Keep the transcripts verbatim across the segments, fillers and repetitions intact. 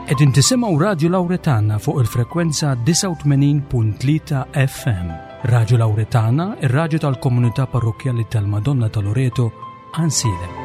Qegħdin tisimgħu Radju Lawretana fuq il-frekwenza disgħa u tmenin punt tlieta F M. Radju Lawretana, ir-radju tal-komunità parrokkjali tal-Madonna ta' Loreto, Għajnsielem.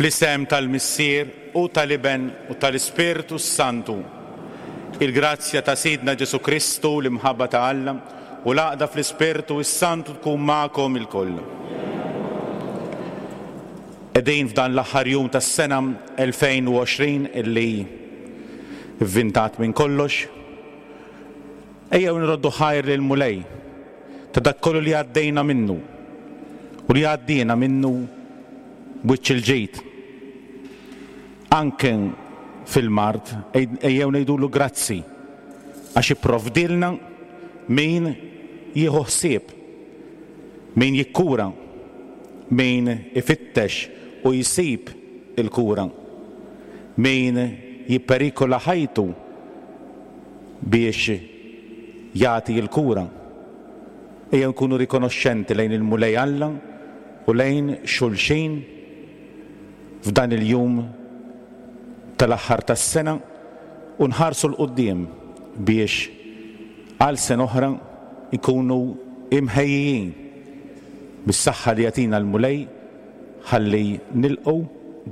Fl-isem tal-Missier u tal-Iben u tal-Ispirtu Santu, il-grazzja ta' Sidna Ġesu Kristu, l-imħabba ta' Alla u l-għaqda fl-Ispirtu s-Santu tkun magħkom ilkoll. Qegħdin f'dan l-aħħar jum tas-sena elfejn u għoxrin illi vvintat minn kollox. Ejjew nroddu ħajr lil Mulej ta' dak kollu li għaddejna minnu u li għaddiena minnu b'wiċċ il-ġid. Anke fil-mard ejjew ngħidulu grazzi għax ipprovdilna min jieħu ħsieb, min jikkura, min ifittex u jsib il-kura, min jipperikola ħajtu biex jagħti l-kura. Ejjew nkunu rikonoxxenti lejn il-Mulej Alla u lejn xulxin f'dan il-jum tal-aħħar tas-sena u nħarsu 'l quddiem biex għal sena oħra nkunu imħejjijin bis-saħħa li jagħtina l-Mulej ħalli nilqgħu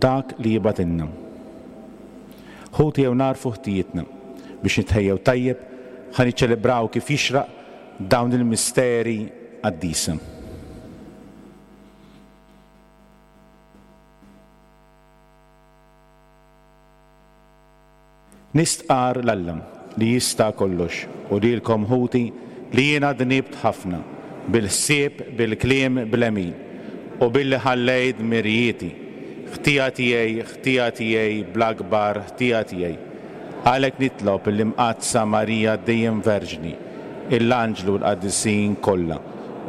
dak li jibgħatilna. Ħuti jew narfu ħtijietna biex nitħejjew tajjeb ħa niċċelebraw kif jixraq dawn il-misteri qaddisa. Nistqar l-Alla li jista' kollox u lilkom ħuti li jiena dnibt ħafna bil-ħsieb, bil-kliem, bl-għemil u billi ħallejt dmirijieti, ħtija tiegħi, ħtija tiegħi, bl-akbar ħtija tiegħi. Għalhekk nitlob l-Imqaddsa Marija dejjem Verġni, l-Anġlu l-Qaddisin kollha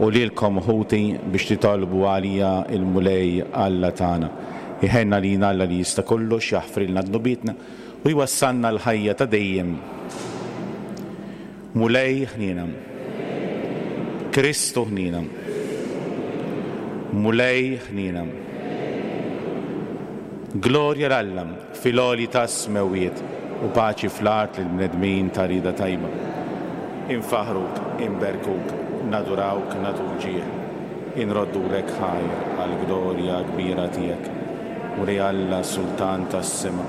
u lilkom ħuti biex titolbu għalija il-Mulej Alla tagħna. Iħenna lina Alla li jista' kollox, jaħfrilna dnubietna u jwassalna l-ħajja ta' dejjem. Mulej ħniena. Kristu ħniena. Mulej ħniena. Glorja 'l Alla fil-għoli tas-smewwiet u paċi fl-art lill-bnedmin ta' rieda tajba. Infaħruk, inberkuk, nadurawk, nagħtuk ġieħ, inroddulek ħajr għall-glorja kbira tiegħek. Mulej Alla, Sultan tas-sema,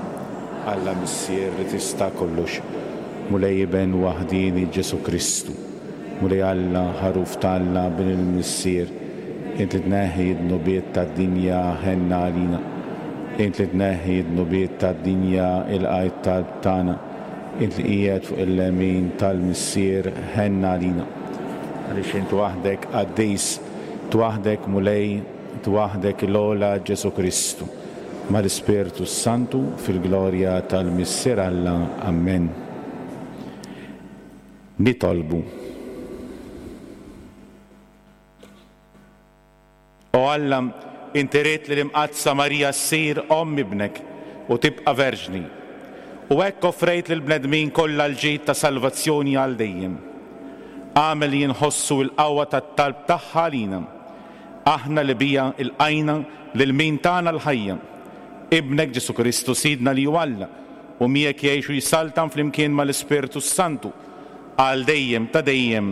Alla Missier li tista' kollox, Mulej Iben waħdieni Ġesu Kristu, Mulej Alla, ħaruf t'Alla Bin il-Missier, int li tneħħi d-dnubiet tad-dinja ħenna għalina. Int li tneħħi d-dnubiet tad-dinja ilqa' t-talb tagħna. Int li qiegħed fuq il-lemin tal-Missier ħenna għalina. Għaliex int waħdek qaddis, int waħdek Mulej, int waħdek l-ogħla Ġesu Kristu. Mal-Ispirtu Santu fil-glorja tal-Missier Alla. Amen. Nitolbu. O Alla, inti ridt li l-Imqaddsa Marija ssir omm ibnek u tibqa' verġni. U hekk offrejt lill-bnedmin kollha l-ġid ta' salvazzjoni għal dejjem. Agħmel li nħossu l-qawwa tat-talb tagħha għalina. Aħna li biha lqajna lil min tana l-ħajja. Ibnek Ġesu Kristu Sidna li hu Alla u miegħek jgħix u jsaltan flimkien mal-Ispirtu Santu għal dejjem ta' dejjem.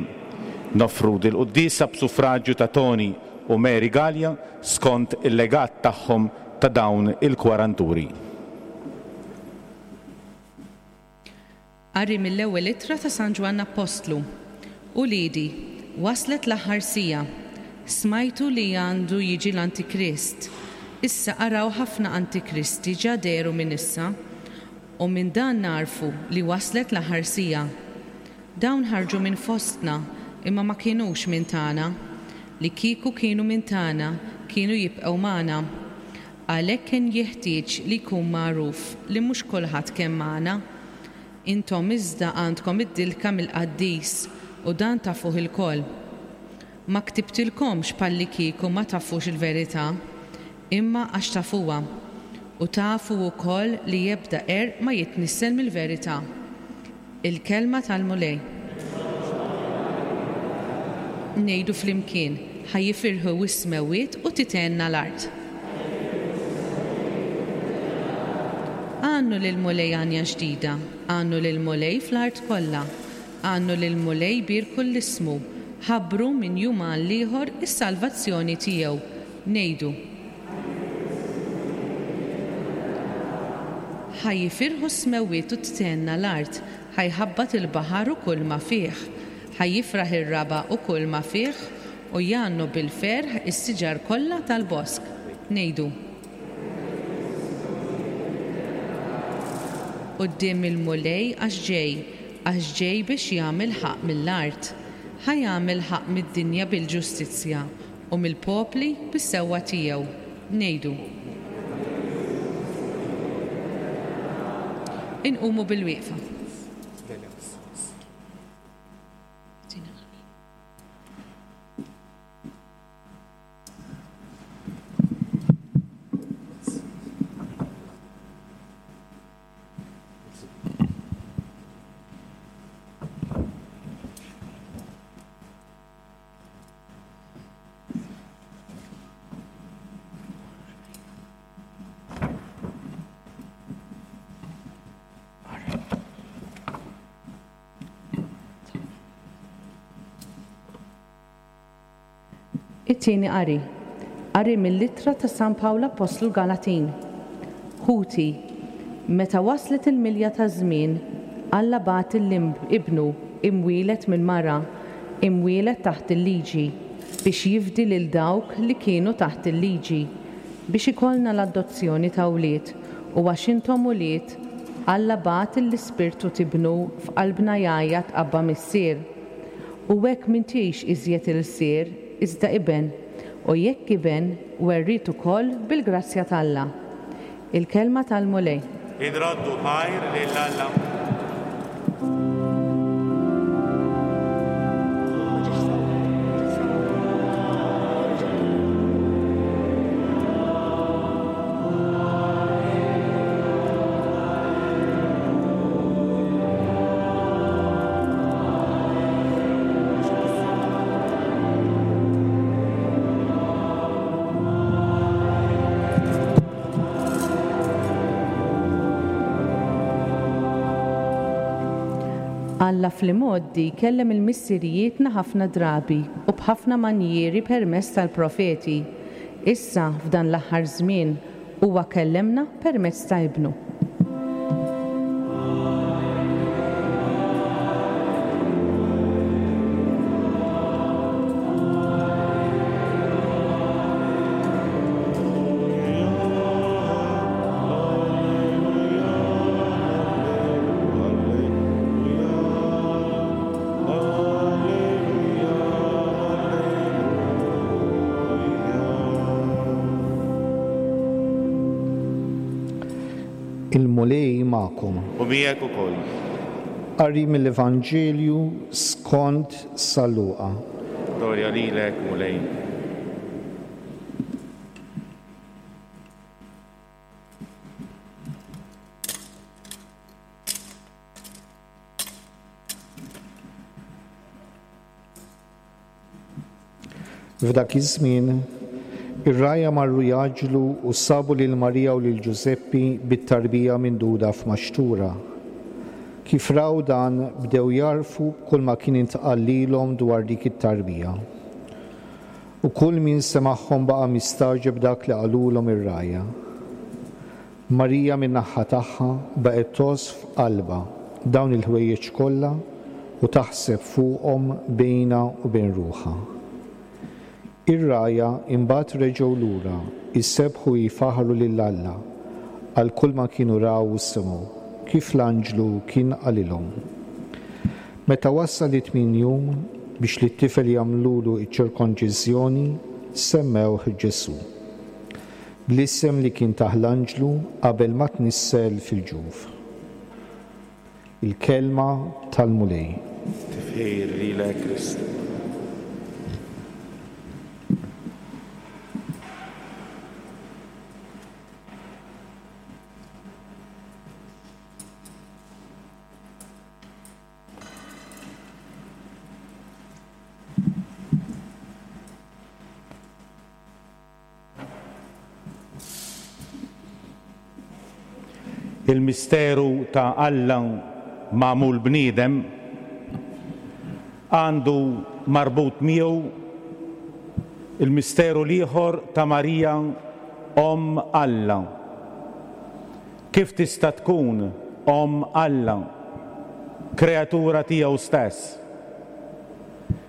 Noffru dil-quddiesa b'suffraġġju ta' Tony u Mary Gallia skont il-legat tagħhom ta' dawn il-kwaranturi. Qari mill-ewwel ittra ta' San Ġwann Appostlu. Uliedi, waslet l-aħħar siegħa. Smajtu li għandu jiġi l-Antikrist. Issa araw ħafna antikristi ġa dehru minn issa, u minn dan narfu li waslet l-aħħar siegħa. Dawn ħarġu minn fostna, imma ma kienux minn tagħna. Li kieku kienu minn tagħna, kienu jibqgħu magħna. Għalhekk kien jeħtieġ li jkun magħruf li mhux kulħadd kien magħna. Intom iżda għandkom id-dilka mill-qaddis u dan tafuh ilkoll. Ma ktibtilkomx palli kieku ma tafux il-verità, imma għax tafuha, u tafu wkoll li ebda qerq ma jitnissel mill-verità. Il-kelma tal-Mulej. Ngħidu flimkien, ħa jifirħu s-smewwiet u tithenna l-art. Għannu lill-Mulej għanja ġdida, għannu lill-Mulej fl-art kollha, għannu lill-Mulej bierku 'l ismu, ħabbru minn jum għal ieħor is-salvazzjoni tiegħu. Ngħidu. Ħa jifirħu s-smewwiet u tithenna l-art, ħa jħabbat il-baħar u kull ma fih, ħa jifraħ ir-raba' u kull ma fih, u jgħannu bil-ferħ is-siġar kollha tal-bosk. Ngħidu. Quddiem il-Mulej għax ġej, għax ġej biex jagħmel ħaqq mill-art. Ħa jagħmel ħaqq mid-dinja bil-ġustizzja u mill-popli bis-sewwa tiegħu. Ngħidu. Inqumu bil-wieqfa. It-tieni qari. Qari mill-ittra ta' San Pawl Appostlu Galatin. Ħuti, meta waslet il-milja ta' żmien, Alla bagħat ibnu imwielet minn mara, imwielet taħt il-liġi, biex jifdi lil dawk li kienu taħt il-liġi, biex ikollna l-adozzjoni ta' wlied, u għax intom ulied, Alla bagħat l-Ispirtu t'Ibnu f'qalbna jgħajjat Abba Missier. U hekk m'intix iżjed ilsir, iżda iben, u jekk iben, werriet ukoll bil-grazzja t'Alla. Il-kelma tal-Mulej. Inroddu ħajr lil Alla. Alla fl-imgħoddi kellem il-missirijietna ħafna drabi u b'ħafna manjieri permezz tal-profeti. Issa f'dan l-aħħar żmien huwa kellemna permezz ta' Ibnu. Il-Mulej magħkom. U miegħek ukoll. Qari mill-Evanġelju skont San Luqa. Glorja lilek, Mulej. F'dak iż-żmien ir-rgħajja marru jgħaġġlu u sabu lil Marija u lil Ġużeppi bit-tarbija minduda f'maxtura. Kif raw dan bdew jarfu kull ma kien intqal lilhom dwar dik it-tarbija. U kull min semagħhom baqa' mistagħġeb dak li qalulhom ir-rgħajja. Marija min-naħa tagħha baqgħet tgħożż f'qalbha dawn il-ħwejjeġ kollha u taħseb fuqhom bejnha u bejn ruħha. Ir-rgħajja imbagħad reġgħu lura jsebbħu jfaħħru lil Alla għal kull ma kienu raw u semgħu, kif l-anġlu kien qalilhom. Meta wasal it-tmien jum biex lit-tifel jagħmlulu ċ-ċirkonċiżjoni, semmewh Ġesù, bl-isem li kien tah l-anġlu qabel ma tnissel fil-ġuf. Il-kelma tal-Mulej. Tifħir lilek, Kristu. Il-misteru ta' Alla magħmul bniedem għandu marbut miegħu il-misteru l-ieħor ta' Marija Omm Alla. Kif tista' tkun Omm Alla, kreatura tiegħu stess?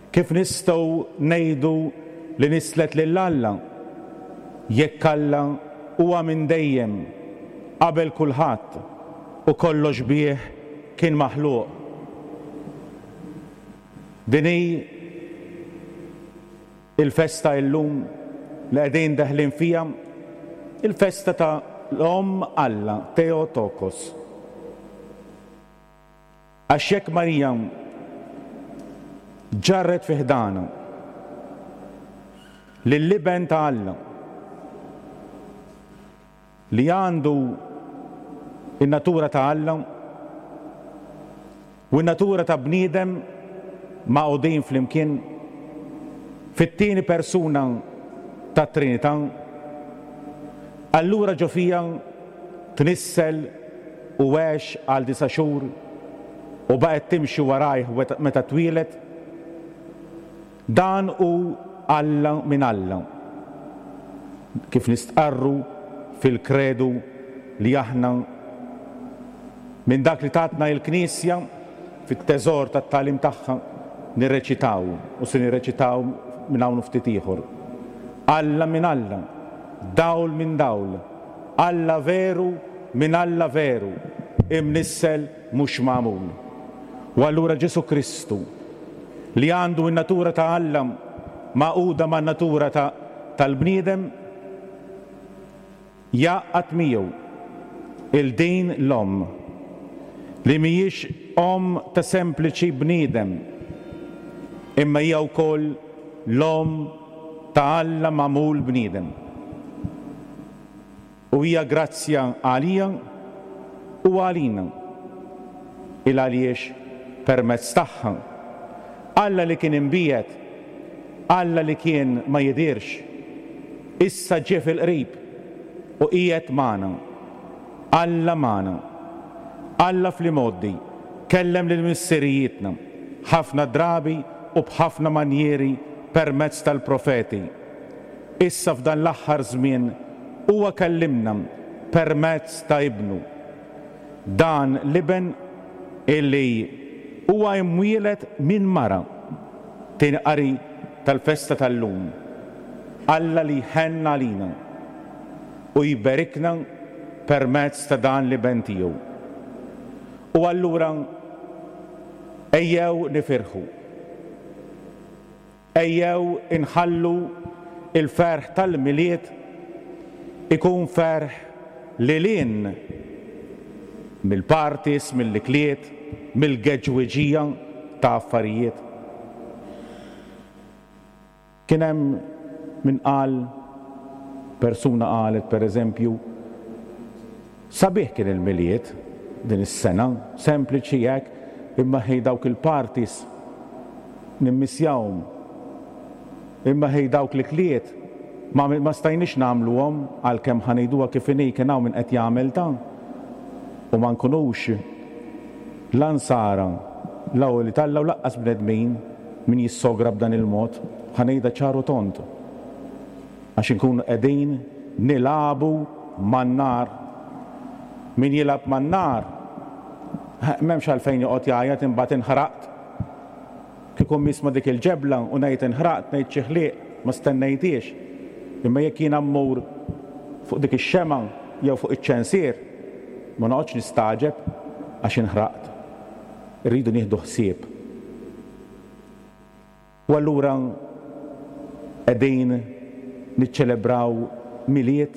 Kif nistgħu ngħidu li nislet lil Alla jekk Alla huwa minn dejjem qabel kulħadd u kollox bih kien maħluq? Din hi il-festa illum li qegħdin deħlin fiha, il-festa ta' l-Omm Alla, Theotokos. Għax jekk Marija ġarret fi ħdana lill-Iben ta' Alla li għandu in-natura ta' Alla u n-natura ta' bniedem maqgħudin flimkien fit-tieni persuna tat-Trinità, allura ġo fija tnissel u għex għal disa' xhur u baqgħet timxi warajh meta twieled. Dan hu Alla minn Alla, kif nistqarru fil-kredu li aħna minn dak li tatna il-Knisja fit-teżor tat-tagħlim tagħha nirreċitaw u se nirreċitaw minn hawn ftit ieħor. Alla minn Alla, dawl minn dawl, Alla veru minn Alla veru, imnissel mhux magħmul. U allura Ġesù Kristu li għandu n-natura ta' Alla magħquda man-natura tal-bniedem jgħaqqad miegħu il din l-omm li mhijiex omm ta' sempliċi bniedem, imma hija wkoll l-omm ta' Alla magħmul bniedem. U hija grazzja għalija u għalina, il għaliex permezz tagħha Alla li kien imbiegħed, Alla li kien ma jidirx, issa ġie fil-qrib u qiegħed magħna. Alla magħna. Alla fl-imgħoddi kellem lil missirijietna ħafna drabi u b'ħafna manjieri permezz tal-profeti. Issa f'dan l-aħħar żmien huwa kellimna permezz ta' Ibnu. Dan l-Iben illi huwa imwieled minn mara. Tieni qari tal-festa tal-lum. Alla li jħenn għalina u jberikna permezz ta' dan l-Iben tiegħu. U allura ejjew nifirħu. Ejjew inħallu il-ferħ tal-Milied ikun ferħ lil hinn mill-parties, mill-ikliet, mill-geġwiġija ta' affarijiet. Kien hemm min qal, persuna qalet per eżempju, sabiħ kien il-Milied din is-sena, sempliċi hekk, imma ħej dawk il-parties nimmisjawhom. Imma ħej dawk l-ikliet ma, ma stajniex nagħmluhom, għalkemm ħa ngħiduha kif inhi, kien hawn min qed jagħmel ta' u ma nkunux la nsara, la wlied Alla u laqqas bnedmin min jissogra b'dan il-mod, ħa ngħidha ċar u tond. Għax inkunu qegħdin nilagħbu man-nar. Min jilgħab man-nar, m'hemmx għalfejn joqgħod jgħajjat imbagħad inħraqt. Kieku nisma' dik il-ġebla u ngħid inħraqt, ngħid xi ħliq, ma stennejtiex. Imma jekk jiena mmur fuq dik ix-xemgħa jew fuq iċ-ċensier, ma noqgħodx nistagħġeb għax inħraqt. Irridu nieħdu ħsieb. U allura qegħdin niċċelebraw Milied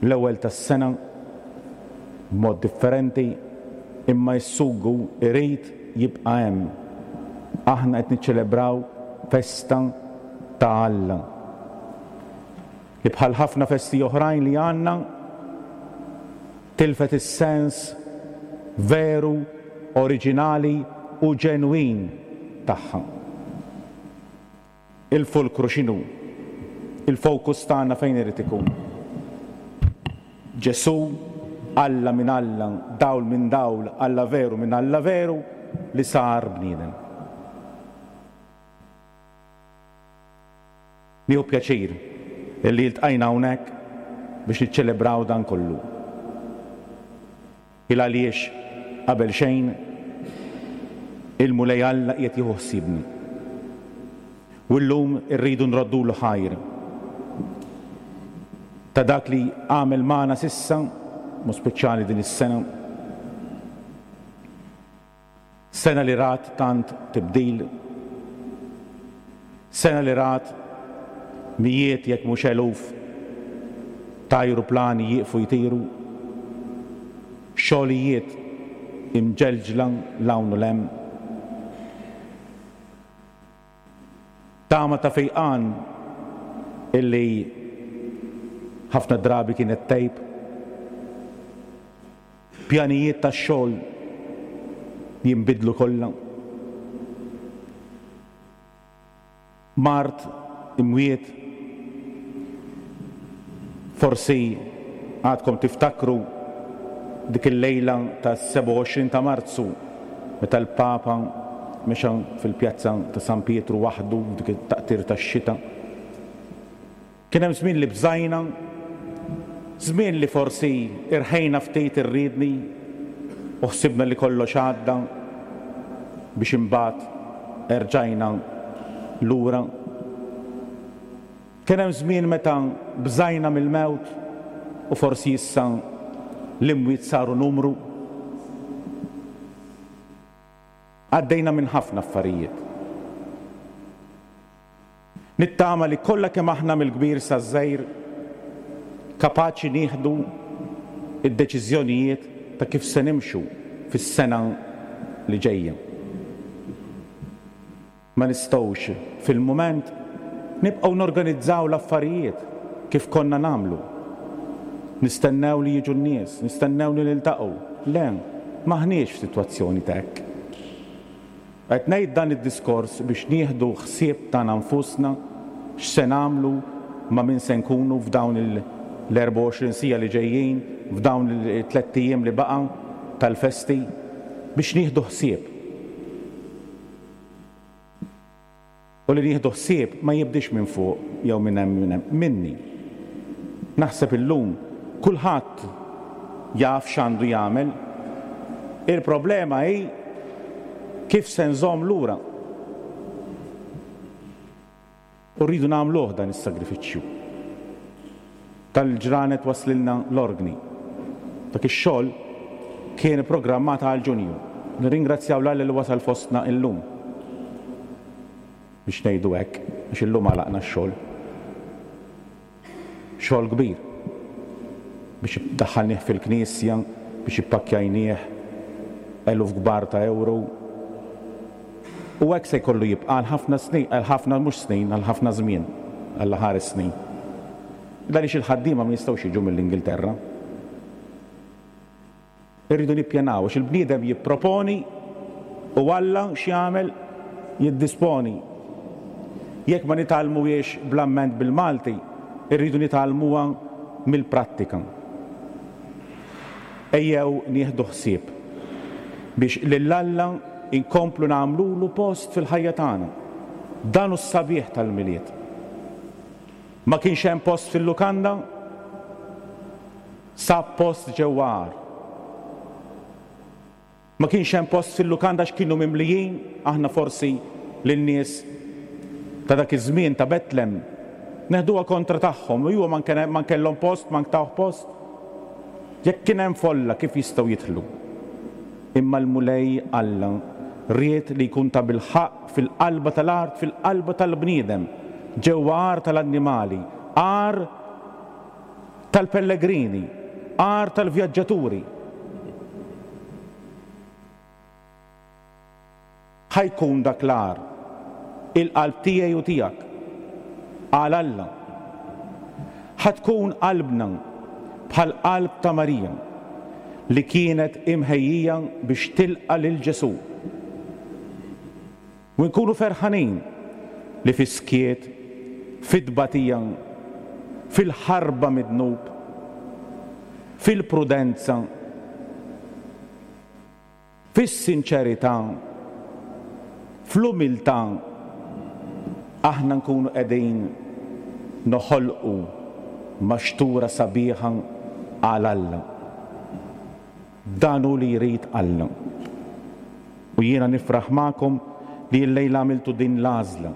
l-ewwel tas-sena b'mod differenti, imma s-sugu irid jibqa' hemm. Aħna qed niċċelebraw festa ta' Alla. Li bħal ħafna festi oħrajn li għandna tilfet is-sens veru, oriġinali u ġenwin tagħha. Il-fulkru x'inhu? Il-fokus tagħna fejn irid ikun? Ġesù, Alla minn Alla, dawl minn dawl, Alla veru minn Alla veru, li sar bniedem. Nieħu pjaċir illi ltqajna hawnhekk biex niċċelebraw dan kollu. Il għaliex qabel xejn il-Mulej Alla qiegħed jieħu ħsiebna. U llum irridu nroddulu ħajr ta' dak li għamel magħna sissa, mu speċjali din is-sena. Sena li rat tant tibdil, sena li rat mijiet jekk mhux eluf ta' ajruplani jieqfu jtiru, xogħlijiet imġelġla l-hawn u l-hemm. Tama ta' fejqan illi ħafna drabi kienet tejb, pjanijiet ta' xogħol jinbidlu kollha. Mart, imwiet, forsi għadkom tiftakru dik il-lejla ta' sebgħa u għoxrin ta' Marzu meta l-Papa mexa fil-pjazza ta' San Pietru waħdu dik it-taqtir tax-xita. Kien hemm żmien li bżajna, żmien li forsi irħejna ftit irridni u ħsibna li kollox għadda biex imbagħad erġajna lura. Kien hemm żmien meta bżajna mill-mewt u forsi issa l-imwiet saru numru. Għaddejna minn ħafna affarijiet. Nittama li kollha kemm aħna mill-kbir saż-żgħir kapaċi nieħdu id-deċiżjonijiet ta' kif se nimxu fis-sena li ġejja. Ma nistgħux fil-mument nibqgħu norganizzaw l-affarijiet kif konna nagħmlu. Nistennew li jiġu n-nies, nistennew li niltaqgħu. Le, m'aħniex f'sitwazzjoni ta' hekk. Qed ngħid dan id-diskors biex nieħdu ħsieb tagħna nfusna x'se nagħmlu ma' min se nkunu f'dawn l-erbgħa u għoxrin siegħa li ġejjin, f'dawn it-tliet ijiem li baqa' tal-festi. biex nieħdu ħsieb. U li nieħdu ħsieb ma jibdix minn fuq jew minn hemm minn hemm, minni. Naħseb illum kulħadd jaf x'għandu jagħmel. Il-problema hi kif se nżomm lura. U rridu nagħmluh dan is-sagrifiċċju. Tal-ġranet waslilna l-organi. Dak ix-xogħol kien programmat għal Ġunju. Nirringrazzjaw 'l Alla li wasal fostna illum. Biex ngħidu hekk, għax illum għalaqna x-xogħol. Xogħol kbir. Biex daħħalnieh fil-knisja, biex ippakkjajnieh eluf kbar ta' euro. U hekk se jkollu jibqa' għal ħafna snin, għal ħafna mhux snin, għal ħafna żmien, għal ħares snin. Għaliex il-ħaddiema ma jistgħux jiġu mill-Ingilterra. Irridu nippjanaw għax il-bniedem jipproponi u Alla x'jagħmel jiddisponi. Jekk ma nitgħallmuhiex bl-amment bil-Malti, irridu nitgħallmuha mill-prattika. Ejjew nieħdu ħsieb biex lil Alla inkomplu nagħmlulu post fil-ħajja tagħna. Dan hu s-sabiħ tal-Milied. Ma kienx hemm post fil-lukanda, sab post ġewwa għar. Ma kienx hemm post fil-lukanda x'kienu mimlijin, aħna forsi lin-nies ta' dak iż-żmien ta' Betlem neħduha kontra tagħhom, u huwa ma kellhom post, ma ntawh post. Jekk kien hemm folla kif jistgħu jidħlu? Imma l-Mulej Alla ried li jkun ta' bilħaqq fil-qalba tal-art, fil-qalba tal-bniedem, ġewwa għar tal-annimali, għar tal-pellegrini, għar tal-vjaġġaturi. Ħa jkun dak l-għar, il-qalb tiegħi u tiegħek, għal Alla. Ħa tkun qalbna bħal qalb ta' Marija li kienet imħejjija biex tilqa' lil Ġesù. U nkunu ferħanin li fis-skiet, fit-tbatija, fil-ħarba mid-dnub, fil-prudenza, fis-sinċerità, fl-umiltà, aħna nkunu qegħdin noħolqu maxtura sabiħa għal Alla. Dan hu li jrid Alla. U jiena nifraħ magħkom li llejla għamiltu din l-għażla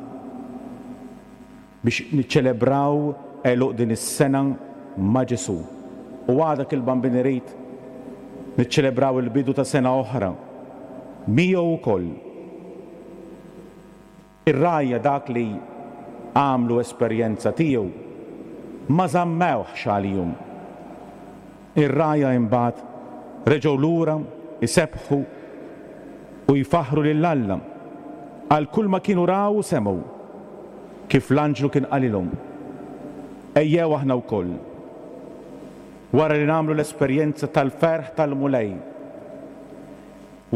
biex niċċelebraw għeluq din is-sena ma' Ġesù. U għada il-Bambin irid niċċelebraw il-bidu ta' sena oħra miegħu wkoll. Ir-rgħajja dak li għamlu esperjenza tiegħu ma żammewhx għalihom. Ir-rgħajja imbagħad reġgħu lura isebbħu u jfaħħru lil Alla għal kull ma kienu raw u semgħu, kif l-anġlu kien qalilhom. Ejjew aħna wkoll, wara li nagħmlu l-esperjenza tal-ferħ tal-Mulej,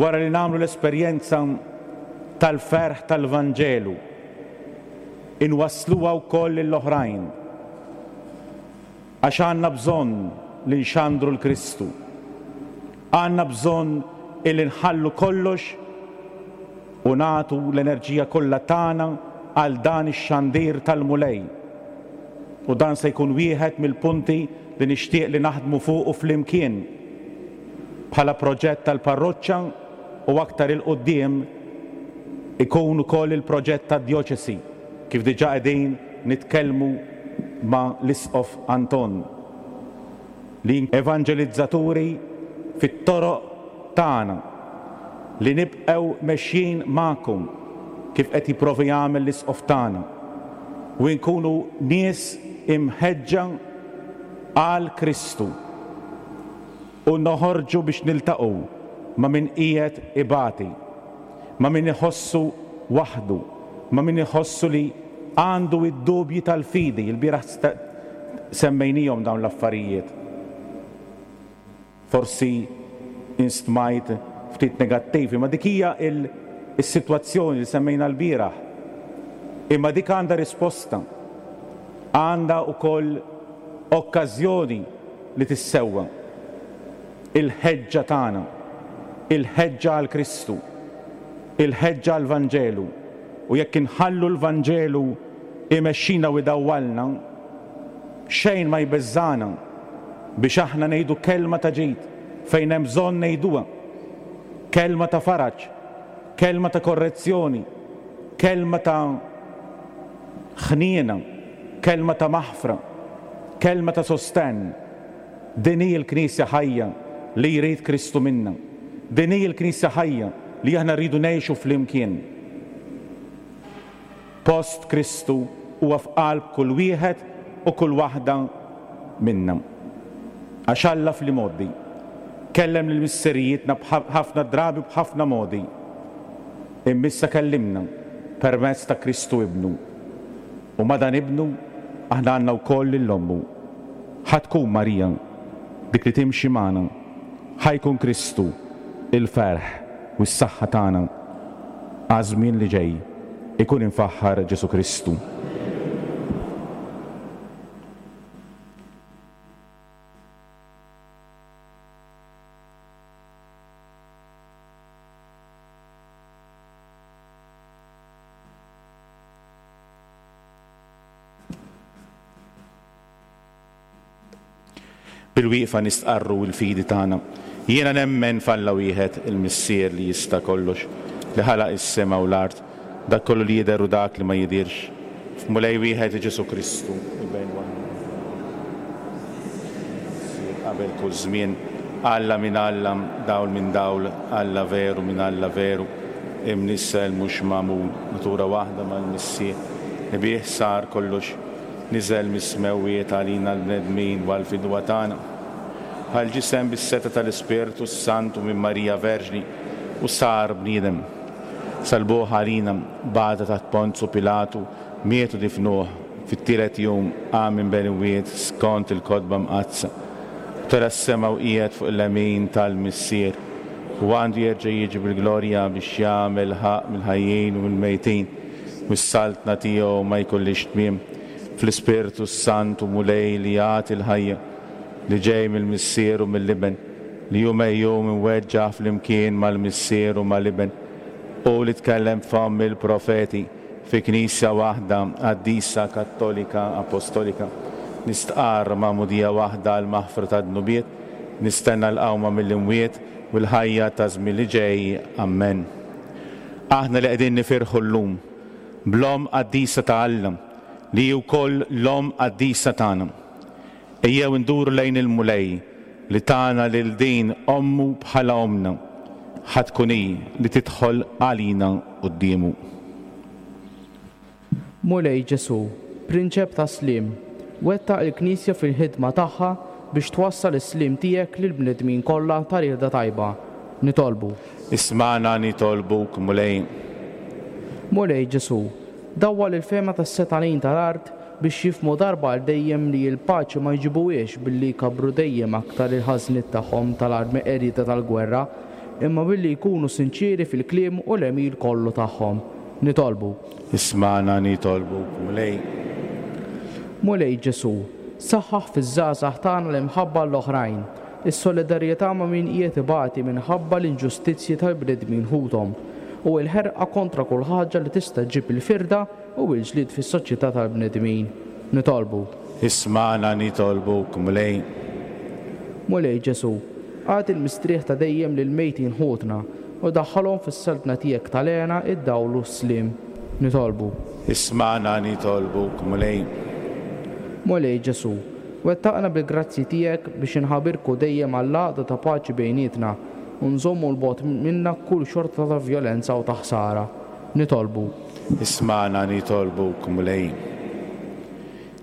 wara li nagħmlu l-esperjenza tal-ferħ tal-Vanġelu, inwassluha wkoll lill-oħrajn, għax għandna bżonn li nxandru l-Kristu. Għandna bżonn illi nħallu kollox u nagħtu l-enerġija kollha tagħna għal dan ix-xandir tal-Mulej. U dan se jkun wieħed mill-punti li nixtieq li naħdmu fuqu flimkien bħala proġett tal-parroċċa, u aktar il-quddiem ikun ukoll il-proġett tad-djoċesi, kif diġà qegħdin nitkellmu ma' l-Isqof Anton, li evanġelizzaturi fit-toroq tagħna, li nibqgħu mexjin magħkom kif qed jipprovi jagħmel l-Isqof tagħna, u nkunu nies imħeġġa għal Kristu u noħorġu biex niltaqgħu ma' min qiegħed ibati, ma' min iħossu waħdu, ma' min iħossu li għandu id-dubji tal-fidi. Il-bieraħ semmejnihom dawn l-affarijiet. Forsi instmajt ftit negattivi, ma dik hija il-sitwazzjoni li semmejna l-bieraħ. Imma dik għandha risposta, għandha wkoll okkażjoni li tissewwa. Il-ħeġġa tagħna, il-ħeġġa għal Kristu, il-ħeġġa għal Vanġelu, u jekk inħallu l-Vanġelu imexxina u idawwalna, xejn ma jbeżżana biex aħna ngħidu kelma ta' ġid fejn hemm bżonn ngħiduha, kelma ta' faraġ, kelma ta' korrezzjoni, kelma ta' ħniena, kelma ta' maħfra, kelma ta' sostenn. Din hi l-Knisja ħajja li jrid Kristu minna. Din hi l-Knisja ħajja li aħna rridu ngħixu flimkien. Post Kristu huwa f'qalb kull wieħed u kull waħda minna. Għax Alla fl-imgħoddi kellem lil missirijietna b'ħafna drabi b'ħafna modi, imma issa kellimna permezz ta' Kristu Ibnu. U ma' dan Ibnu aħna għandna wkoll lil ommu. Ħa tkun Marija dik li timxi magħna, ħa jkun Kristu il-ferħ u s-saħħa tagħna għaż-żmien li ġej. Ikun imfaħħar Ġesu Kristu. Bil-wieqfa nistqarru l-fidi tagħna. Jiena nemmen f'Alla wieħed, il-Missier li jista' kollox, li ħalaq is-sema u l-art, dak kollu li jidher u dak li ma jidhirx. F'Mulej wieħed Ġesu Kristu, il-Bejn qabel kull żmien, Alla minn Alla, dawl minn dawl, Alla veru minn Alla veru, imnissel mhux magħmul, natura waħda mal-Missier, li bih sar kollox, niżel mis-smewwiet għalina l-bnedmin u għall-fidwa tagħna. Għal ġisem bis-seta tal-Ispirtu s-Santu minn Marija Verġni u sar bniedem. Salbuh għalina, bata taħt Ponzu Pilatu, mietu difnuh, fit-tielet jum qam minn bejn imwiet skont il-kotba mqaddsa. Tela s-sema u qiegħed fuq il-lemin tal-Missier, u għandu jerġa' jiġi bil-glorja biex jagħmel ħaqq mill-ħajjin u mill-mejtin, u s-saltna tiegħu ma jkollix tmiem. Fl-Ispirtu s-Santu Mulej li jagħti l-ħajja, li ġej mill-Missier u mill-Iben, li hu mejjum imweġġaħ flimkien mal-Missier u mal-Iben, u li tkellem f'fomm il-profeti fi Knisja waħda qaddisa Kattolika Apostolika. Nistqarr magħmudija waħda għal maħfra ta' dnubiet, nistenna l-qawma mill-imwiet u l-ħajja ta' żmien li ġej. Amen. Aħna li qegħdin nifirħu llum bl-Omm qaddisa ta' Alla, li hi wkoll l-Omm qaddisa tagħna. Ejjew nduru lejn il-Mulej li tagħna lil din ommu bħala omna, ħa tkun hi li tidħol għalina quddiemu. Mulej Ġesu, Prinċep ta' Sliem, wettaq il-Knisja fil-ħidma tagħha biex twassal is-sliem tiegħek lill-bnedmin kollha ta' rieda tajba. Nitolbu. Ismagħna nitolbuk, Mulej. Mulej Ġesu, dawwal il-fehma tas-setanin tal-art biex jifhmu darba għal dejjem li l-paċi ma jġibuhiex billi jkabru dejjem aktar il-ħażniet tagħhom tal-armi qerida tal-gwerra, imma billi jkunu sinċieri fil-kliem u l-għemil kollu tagħhom. Nitolbu. Ismagħna nitolbuk, Mulej. Mulej Ġesu, saħħaħ fiż-żgħażagħ tagħna l-imħabba l-oħrajn, is-solidarjetà ma' min qiegħed ibati minħabba l-inġustizzji tal-bnedmin ħuthom, u l-ħerqa kontra kull ħaġa li tista' ġġib il-firda u l-ġlied fis-soċjetà tal-bnedmin. Nitolbu. Ismagħna nitolbuk, Mulej. Mulej Ġesu, agħti l-mistrieħ ta' dejjem lil mejtin ħutna u daħħalhom fis-saltna tiegħek tal-hena, id-dawl u s-sliem. Nitolbu. Ismagħna nitolbuk, Mulej. Mulej Ġesu, wettaqna bil-grazzi tiegħek biex inħabirku dejjem għall-għaqda ta' paċi bejnietna u nżommu l-bogħod minna kull xorta ta' vjolenza u ta' ħsara. Nitolbu. Ismagħna nitolbuk, Mulej.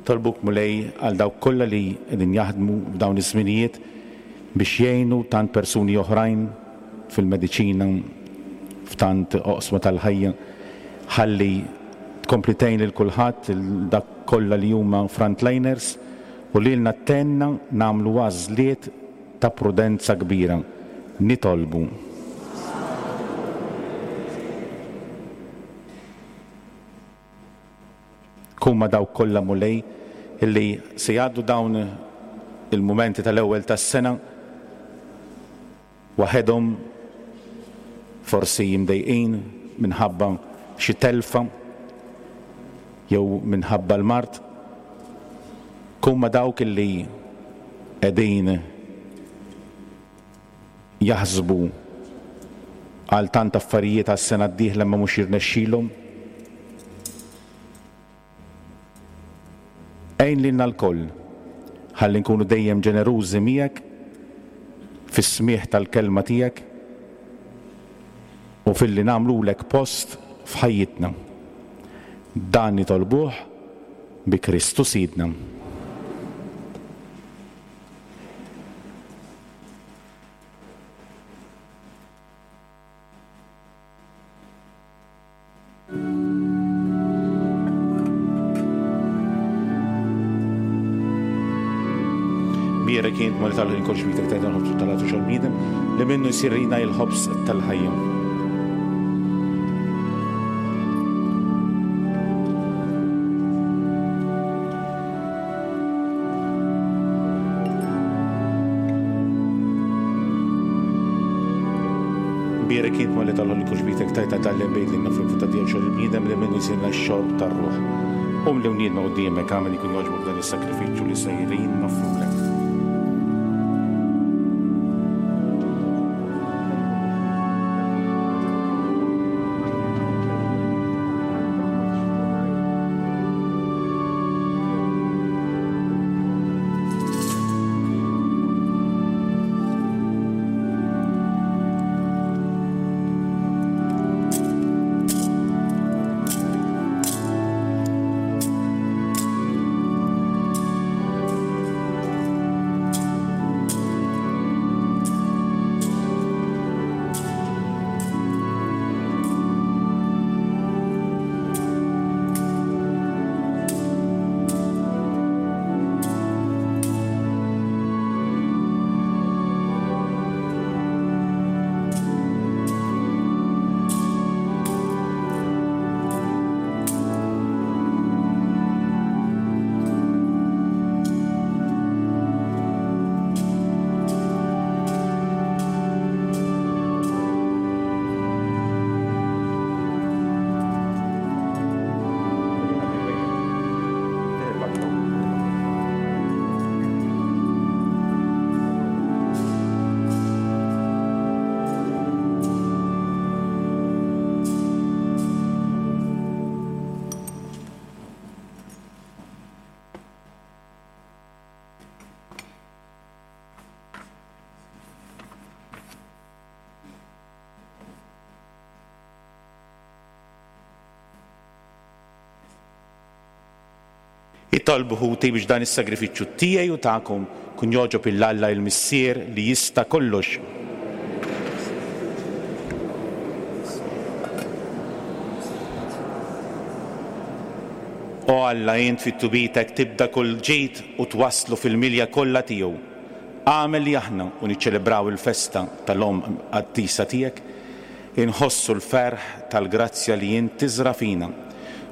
Tolbuk, Mulej, għal dawk kollha li qegħdin jaħdmu f'dawn iż-żminijiet biex jgħinu tant persuni oħrajn fil-mediċina, f'tant oqsma tal-ħajja, ħalli tkompli tgħin lil kulħadd, dak kollha li huma frontliners, u lilna tenna nagħmlu għażliet ta' prudenza kbira. Nitolbu. Kun ma' dawk kollha, Mulej, illi se jgħaddu dawn il-mumenti tal-ewwel tas-sena waħedhom Forsi jimdejqin minħabba xi telfa jew minħabba l-mard. Kun ma' dawk illi qegħdin jaħsbu għal tant affarijiet għas-sena d-dieħla ma mhux jirnexxilhom. Għin lilna lkoll ħalli nkunu dejjem ġenerużi miegħek fis-smigħ tal-kelma tiegħek u filli nagħmlulek post f'ħajjitna. Dan nitolbuh bi Kristu Sidna. Bierek int Mulej tal kolx bitek tajt il-ħobż tal-għatu xol bniedem li minnu jsirina il-ħobż tal-ħajja. Bierek int Mulej tal-ħolli bitek tajt tal-bejt li nafru ta' tiegħu xol bniedem li minnu jsirna x-xorb tar-ruħ. Um li wniedna quddiemek għamel ikun jogħġbok dan is-sakrifiċċju li sejrin noffrulek. Itolbu ħuti biex dan is-sagrifiċċju tiegħi u tagħkom kun jogħġob il Alla il-Missier li jista' kollox. O Alla, int fit-tubitek tibda kull ġid u twasslu fil-milja kollha tiegħu. Agħmel li aħna u niċċelebraw il-festa tal-Omm Qaddisa tiegħek, inħossu l-ferħ tal-grazzja li int tiżra' fina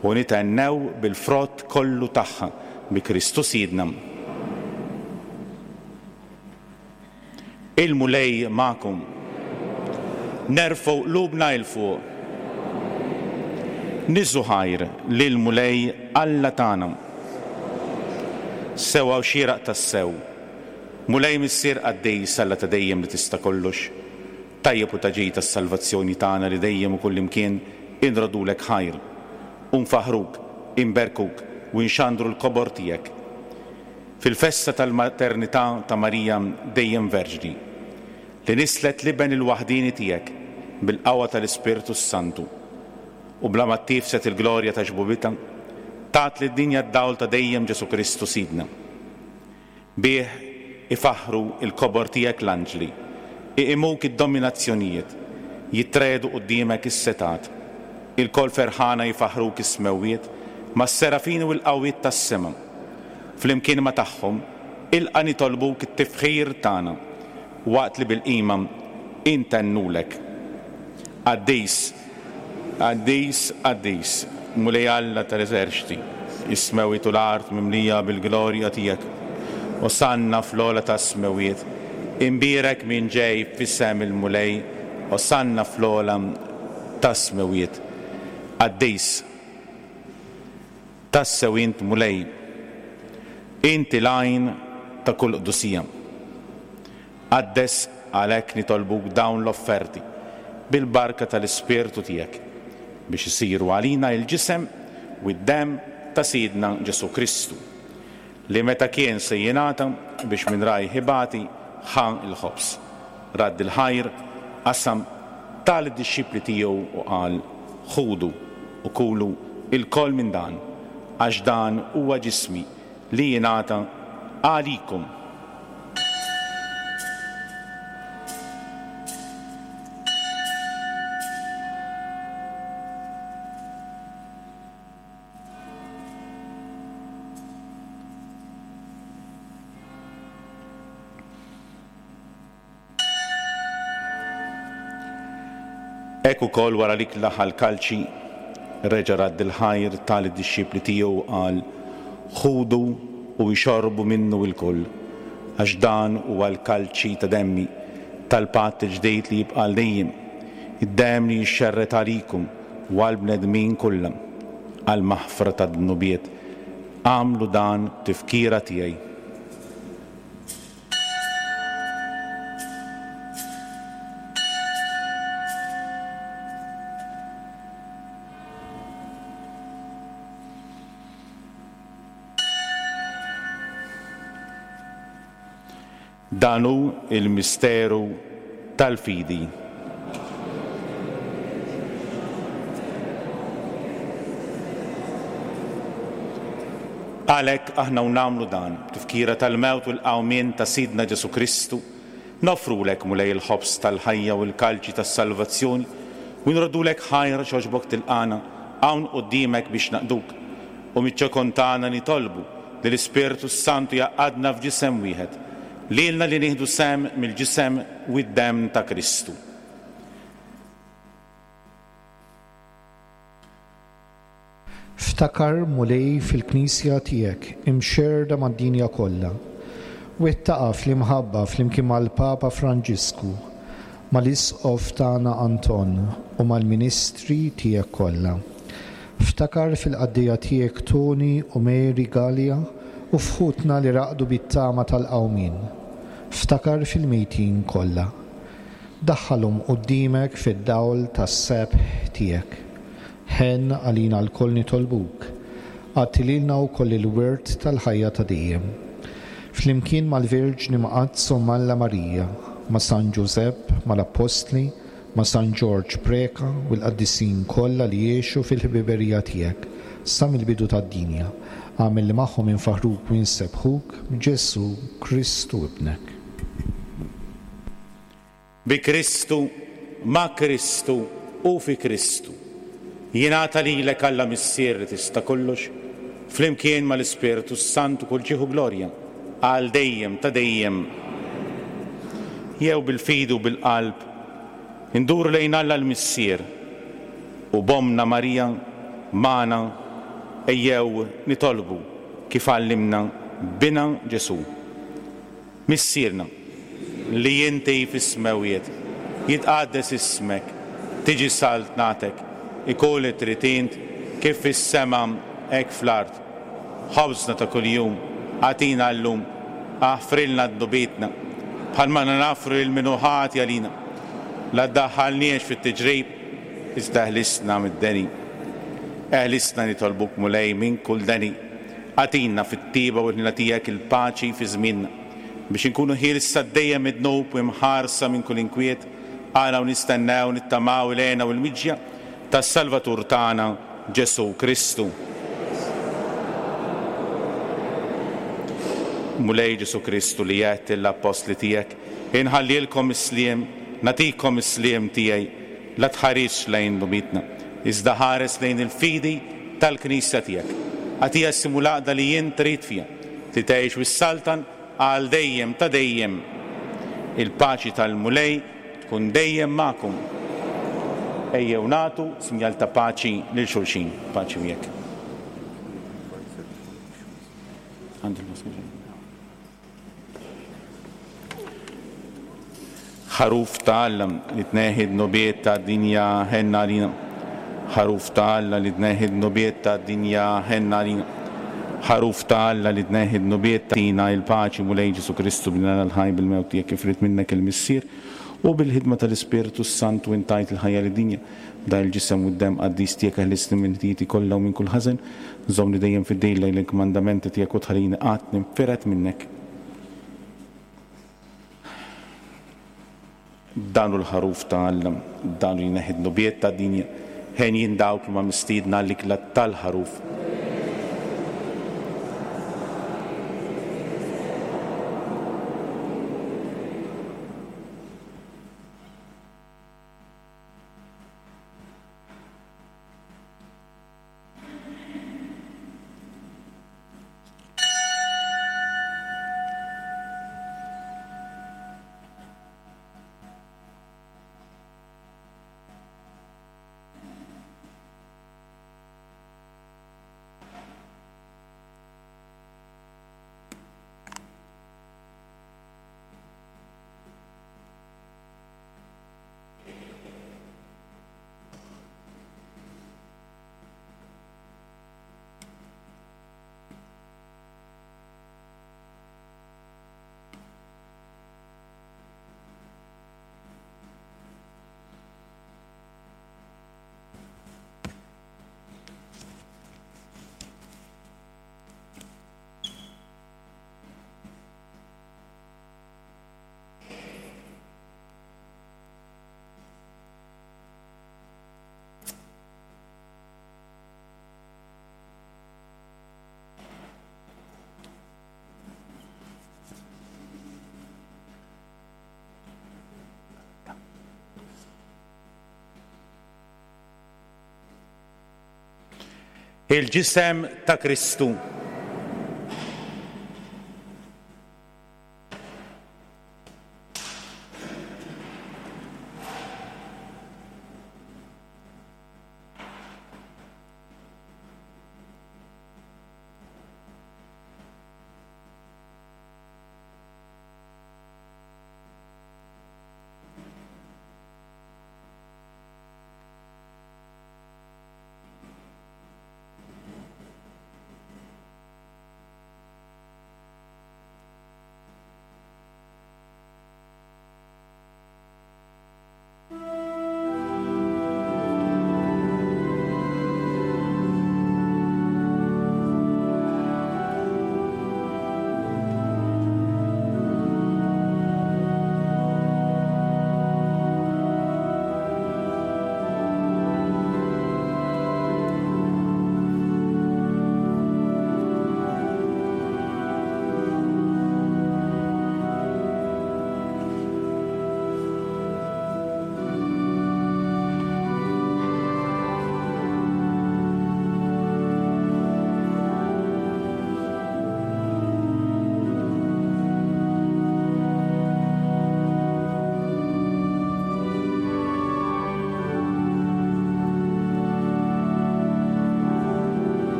u nitennew bil-frott kollu tagħha bi Kristu Sidna. Il-Mulej magħkom. Nerfgħu qlubna 'l fuq. Niżżu ħajr lil Mulej Alla tagħna. Sewwa u xieraq tassew. Mulej Missier qaddis Alla ta' dejjem li tista' kollox. Tajjeb u ta' ġid tas-salvazzjoni tagħna li dejjem u kullimkien inrodulek ħajr. U nfaħruk, imberkuk u nxandru l-kobor tiegħek. Fil-festa tal-maternità ta' Marija dejjem Verġni, li nislet l-iben il-waħdini tiegħek bil-qawwa tal-Ispirtu Santu u bla ma tifset il-glorja ta' xbubitha, tat lid-dinja d-dawl ta' dejjem Ġesu Kristu Sidna. Bih ifaħru il-kobor tiegħek l-anġli, iqimuk id-dominazzjonijiet, jitredu quddiemek is-setat. Il-kol ferħana jifaħruk is-smewwiet mas-serafini u l-qawwiet tas-sema. Flimkien ma tagħhom ilqa' nitolbuk it-tifħir tagħna waqt li bil-qima intennulek. Qaddis, qaddis, qaddis, Mulej Alla tal-eżerċti, is-smewwiet u l-art mimlija bil-glorja tiegħek. Osanna fl-ogħla tas-smewwiet, imbierek min ġej f'isem il-Mulej, Osanna fl-ogħla tas-smewwiet. Qaddis, tassew int Mulej, inti l-għajn ta' kull qdusija. Qaddes għalhekk nitolbuk dawn l-offerti bil-barka tal-Ispirtu tiegħek biex isiru għalina il-ġisem u d-demm ta' Sidna Ġesù Kristu, li meta kien se jingħata biex minn rajh ibati ħa l-ħobż, radd il-ħajr, qasam, ta lid-dixxipli tiegħu u qal: Ħudu u kulu ilkoll minn dan, għax dan huwa ġismi li jingħata għalikom. Hekk ukoll wara li klaħa l-kalċi, reġa' radd il-ħajr ta lid-dixxipli tiegħu u qal: Ħudu u ixorbu minnu lkoll, għax dan huwa l-kalċi ta' demmi tal-patt il-ġdid li jibqa' għal dejjem, id-demm li jixxerred għalikum u għall-bnedmin kollha għall-maħfra tad-dnubiet. Agħmlu dan b'tifkira tiegħi. Dan hu il-misteru tal-fidi. Għalhekk aħna u nagħmlu dan, tifkira tal-mewt u l-qawmien ta' Sidna Ġesù Kristu, noffrulek Mulej il-ħobż tal-ħajja u l-kalċi tas-salvazzjoni, u nroddulek ħajr xogħbok tilqana hawn quddiemek biex naqduk, u miċ-ċokon tagħna nitolbu li l-Ispirtu s-Santu jgħaqqadna f'ġisem wieħed, lilna li nieħdu sehem mill-ġisem u d-demm ta' Kristu. Ftakar, Mulej, fil-Knisja tiegħek imxerrda mad-dinja kollha. Wettaqa fl-imħabba flimkien mal-Papa Franġisku, mal-Isqof tagħna Anton u mal-Ministri tiegħek kollha. Ftakar fil-qaddejja tiegħek Toni u Mary Gallia u f'ħutna li raqdu bit-tama tal-qawmien. Ftakar fil-mejtin kollha. Daħħalhom quddiemek fid-dawl tas-sebħ tiegħek. Ħenn għalina lkoll nitolbuk, agħti lilna wkoll il-wirt tal-ħajja ta' dejjem. Flimkien mal-Verġni Mqaddsa u Alla Marija, ma' San Ġużepp, mal-Appostli, ma' San Ġorġ Preca u l-qaddisin kollha li jgħixu fil-ħbiberija tiegħek sa mill-bidu tad-dinja. Agħmel li magħhom infaħruk u nsebbħuk b'Ġesù Kristu ibnek. Bi Kristu, ma' Kristu u fi Kristu, jingħata lilek Alla Missier li tista' kollox, flimkien mal-Ispirtu s-Santu kull ġieħ u glorja, għal dejjem ta' dejjem. Jew bil-fidi u bil-qalb induru lejn Alla l-Missier u b'Ommna Marija magħna ejjew nitolbu kif għallimna bina Ġesù. Missierna li inti fis-smewwiet, jitqaddes ismek, tiġi saltnatek, ikun li trid int kif fis-sema hekk fl-art. Ħobżna ta' kuljum agħtina llum, aħfrilna dnubietna bħalma nafru lil min hu ħati għalina. La ddaħħalniex fit-tiġrib, iżda ħlisna mid-deni. Eħlisna nitolbuk Mulej minn kull deni. Agħtina fit-tiba u l-ħnina tiegħek il-paċi fi żmienna, biex inkunu ħielsa dejjem mid-dnub u imħarsa minn kull inkwiet, għala u nistennew nittamaw il-għena u l-miġja tas-Salvatur tagħna Ġesù Kristu. Mulej Ġesù Kristu li għedt lill-appostli tiegħek, inħallilkom is-sliem, nagħtikom is-sliem tiegħi, la tħarisx lejn dnubietna, iżda ħares lejn il-fidi tal-Knisja tiegħek. Agħtiha s-sliem u l-għaqda li jien trid fiha, li tgħix u s-saltan għal dejjem ta' dejjem. Il-paċi tal-Mulej tkun dejjem magħkom. Ejjew nagħtu sinjal ta' paċi lil xulxin. Paċi miegħek. Ħaruf ta' Alla li tneħħi d-dnubiet tad-dinja, ħenn għalina. Ħaruf ta' Alla li tneħħi d-dnubiet tad-dinja, ħenn għalina. Ħaruf ta' Alla li tneħħi d-dnubiet tina il-paċi, Mulej Ġesù Kristu, bnina l-ħaj bil-mewt tiegħek kif ried minnek il-Missier, u bil-ħidma tal-Ispirtu s-Santu intajt il-ħajja lid-dinja. B'dan il-ġisem u d-demm qaddis tiegħek eħlisni minn ħtijieti kollha u minn kull ħażen, żommni dejjem fid-dejl lejn il-kmandamenti tiegħek u tħallini qatt ninfired minnek. Dan hu l-ħaruf ta' Alla, dan hu jneħħi d-dnubiet tad-dinja, henjin dawk li huma mistiedna għall-ikla tal-ħaruf. Il-ġisem ta' Kristu.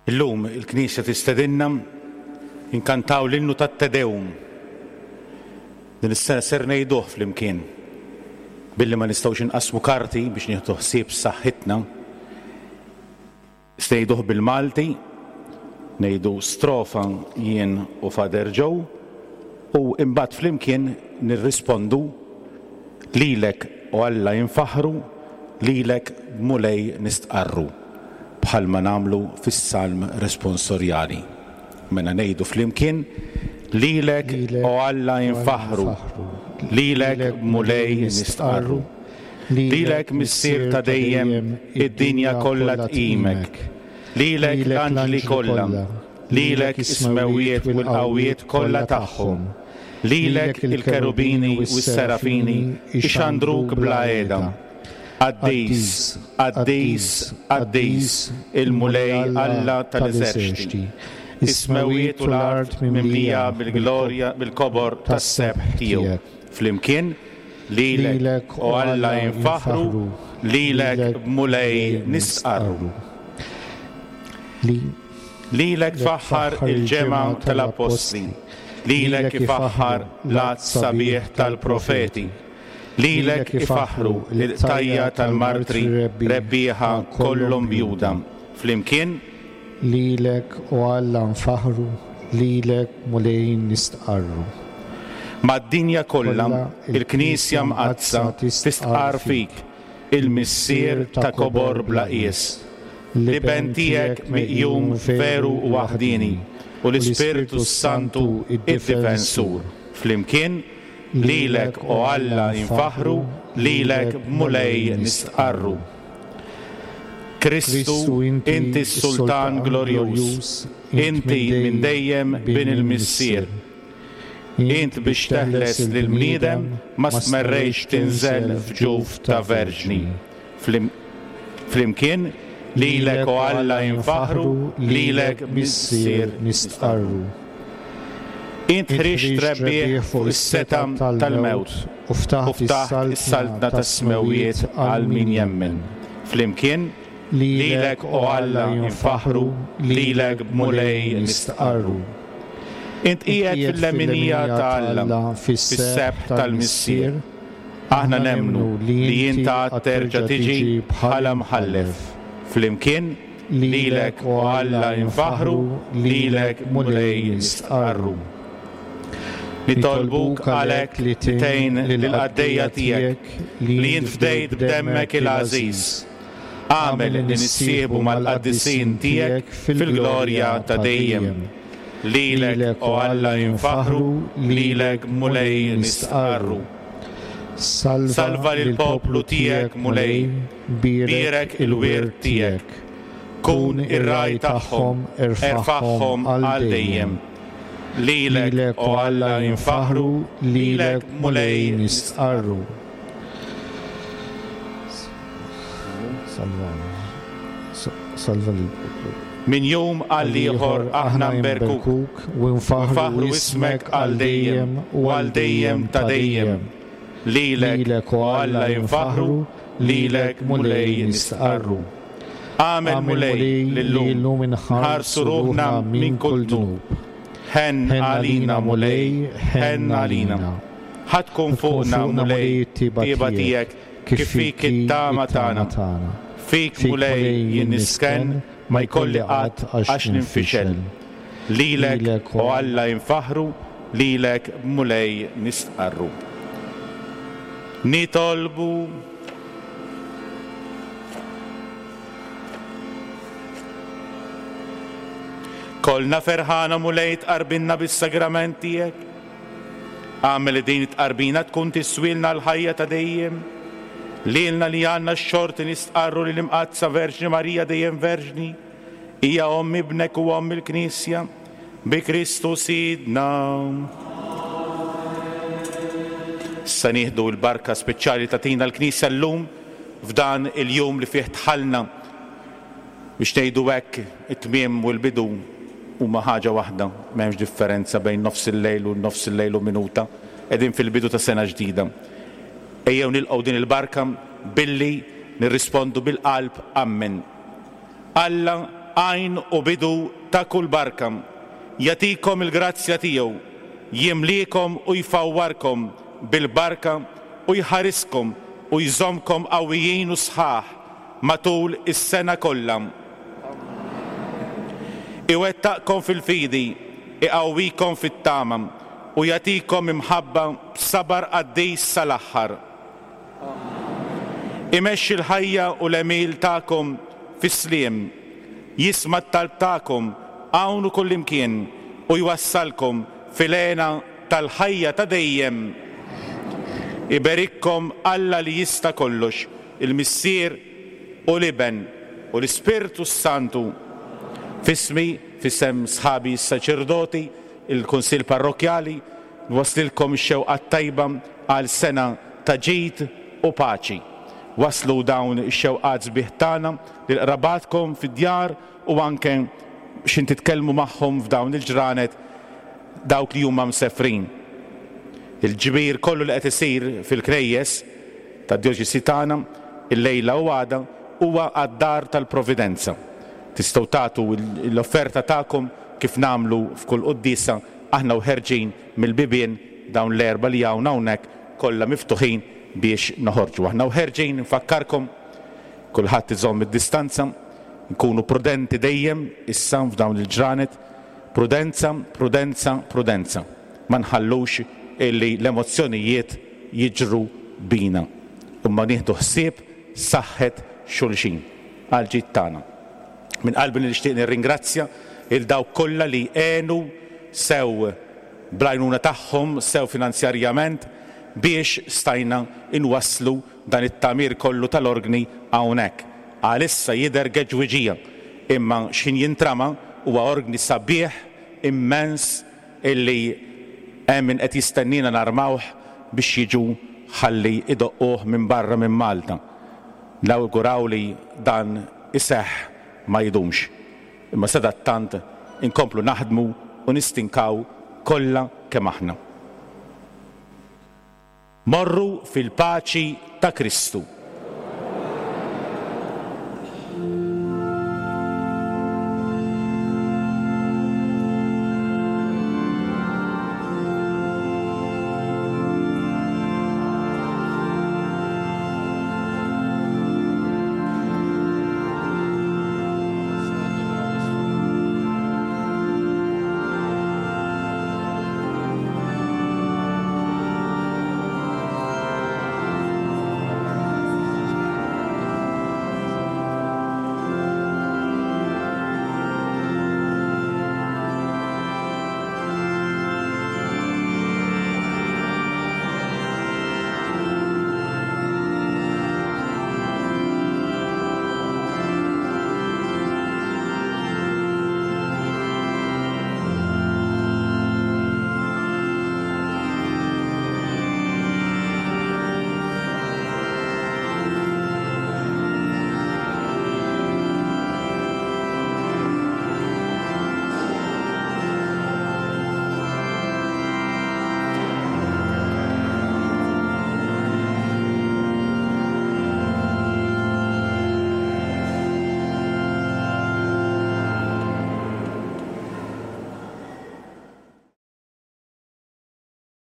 Illum il-Knisja tistedinna inkantaw l-innu tat-Te Deum. Din is-sena ser ngħiduh flimkien. Billi ma nistgħux inqasmu karti biex nieħdu ħsieb saħħitna. Ngħiduh bil-Malti, ngħidu strofa jien u Father Joe, u imbagħad flimkien nirrispondu lilek o Alla infaħħru, lilek Mulej nistqarru, bħalma nagħmlu fis-salm responsorjali. Mela ngħidu flimkien lilek o Alla infaħħru, lilek Mulej nistqarru, lilek Missier ta' dejjem id-dinja kollha tqimek, lilek l-anġli kollha, lilek is-smewwiet u l-qawwiet kollha tagħhom, lilek il-kerubini u s-serafini ixandruk bla qiegħda. Qaddis, qaddis, qaddis, il-Mulej Alla tal-eżerċti. Is-smewwiet u l-art mimlija bil-glorja bil-kobor tas-sebħ tiegħu. Flimkien, lilek o Alla infaħħru, lilek Mulej nistqarru. Lilek tfaħħar il-ġemgħa tal-appostli, lilek ifaħħar l-għadd sabiħ tal-profeti, lilek ifaħħru l-qtajja tal-martri rebbieħa kollhom bjuda. Flimkien, lilek o Alla nfaħħru, lilek Mulej nistqarru. Mad-dinja kollha il-Knisja mqaddsa tistqarr fik, il-Missier ta' kobor bla qies, l-Iben tiegħek miqjum veru u waħdieni, u l-Ispirtu Santu id-Difensur. Flimkien, lilek o Alla infaħħru, lilek Mulej nistqarru. Kristu, inti s-Sultan glorjuż, inti minn dejjem bin il-Missier. Int biex teħles lill-bniedem ma stmerrejx tinżel f'ġuf ta' verġni. Flimkien, lilek o Alla infaħħru, lilek Missier nistqarru. Int ħriġt rebbieħ fuq is-setgħa tal-mewt u ftaħt is-saltna tas-smewwiet għal min jemmen. Flimkien, lilek o Alla infaħħru, lilek Mulej nistqarru. Int qiegħed fil-leminija ta' Alla, fis-sebħ tal-Missier. Aħna nemmnu li int għad terġa' tiġi bħala mħallef. Flimkien, lilek o Alla infaħħru, lilek Mulej nistqarru. Nitolbuk għalhekk li tgħin lill-qaddejja tiegħek li int fdejt b'demmek il-għażiż. Agħmel li nissieħbu mal-qaddisin tiegħek fil-glorja ta' dejjem. Lilek o Alla infaħħru, lilek Mulej nistqarru. Salva lill-poplu tiegħek Mulej, bierek il-wirt tiegħek. Kun ir-ragħaj tagħhom, erfagħhom għal dejjem. Lilek o Alla infaħħru, lilek Mulej nistqarru. Salva lill-poplu. Min jum għal ieħor aħna nberkuk u nfaħħru ismek għal dejjem u għal dejjem ta' dejjem. Lilek o Alla infaħħru, lilek Mulej nistqarru. Agħmel Mulej li llum inħarsu ruħna minn kull dnub. Ħenn għalina Mulej, ħenn għalina. Ħa tkun fuqna Mulej it-tjieba tiegħek kif fik it-tama tagħna. Fik Mulej jien nisken, ma jkolli qatt għax ninfixel. Lilek o Alla infaħħru, lilek Mulej nistqarru. Nitolbu. Kollna ferħana Mulej tqarbinna bis-sagrament tiegħek. Agħmel li din it-tqarbina tkun tiswilna l-ħajja ta' dejjem. Lilna li għandna x-xorti nistqarru li l-Imqaddsa Verġni Marija dejjem Verġni, hija omm ibnek u omm il-Knisja, bi Kristu Sidna. Issa nieħdu l-barka speċjali tagħtina l-Knisja llum f'dan il-jum li fih tħallna biex ngħidu hekk it-tmiem u l-bidu huma ħaġa waħda, m'hemmx differenza bejn nofs il-lejl u nofs il-lejl u minuta, qegħdin fil-bidu ta' sena ġdida. Ejjew nilqgħu din il-barka billi nirrispondu bil-qalb Amen. Alla għajn u bidu ta' kull barka, jagħtikom il-grazzja tiegħu, jimlikom u jfawwarkom bil-barka u jħariskom u jżommkom qawwijin u sħaħ matul is-sena kollha. Iwettaqkom fil-fidi, iqawwikom fit-tama u jagħtikom imħabba b'sabar qaddis sal-aħħar. Imexxi l-ħajja u l-għemil tagħkom fis-sliem, jisma' t-talb tagħkom hawn u kullimkien u jwassalkom fil-hena tal-ħajja ta' dejjem. Iberikkom Alla li jista' kollox, il-Missier u l-Iben u l-Ispirtu s-Santu. F'ismi, f'isem sħabi s-saċerdoti, il-Kunsill Parrokkjali, nwasslilkom ix-xewqa tajba għal sena ta' ġid u paċi. Waslu dawn ix-xewqat sbieħ tagħna lil qrabatkom fid-djar u anke x'in titkellmu magħhom f'dawn il-ġranet dawk li huma msefrin. Il-ġbir kollu li qed isir fil-knejjes tad-djoċesi tagħna illejla u għada huwa għad-dar tal-Providenza. Tistgħu tagħtu l-offerta tagħkom kif nagħmlu f'kull quddiesa aħna u ħerġin mill-bibien dawn l-erba' li hawn hawnhekk kollha miftuħin biex noħorġu. Aħna u ħerġin nfakkarkom kulħadd iżomm id-distanza, nkunu prudenti dejjem issa f'dawn il-ġranet, prudenza, prudenza, prudenza. Ma nħallux illi l-emozzjonijiet jiġru bina. Imma nieħdu ħsieb saħħet xulxin għal ġid tagħna. Minn qalbi nixtieq nirringrazzja il dawk kollha li għenu sew bl-għajnuna tagħhom, sew finanzjarjament, biex stajna inwasslu dan it-tagħmir kollu tal-organi hawnhekk. Għalissa jidher geġwiġija, imma x'ħin jintrama huwa organi sabiħ immens illi hemm min qed jistennina narmawh biex jiġu ħalli idoqquh minn barra minn Malta. Nawguraw li dan iseħħ ma jdumx. Imma sadattant inkomplu naħdmu u nistinkaw kollha kemm aħna. Morru fil-paċi ta' Kristu.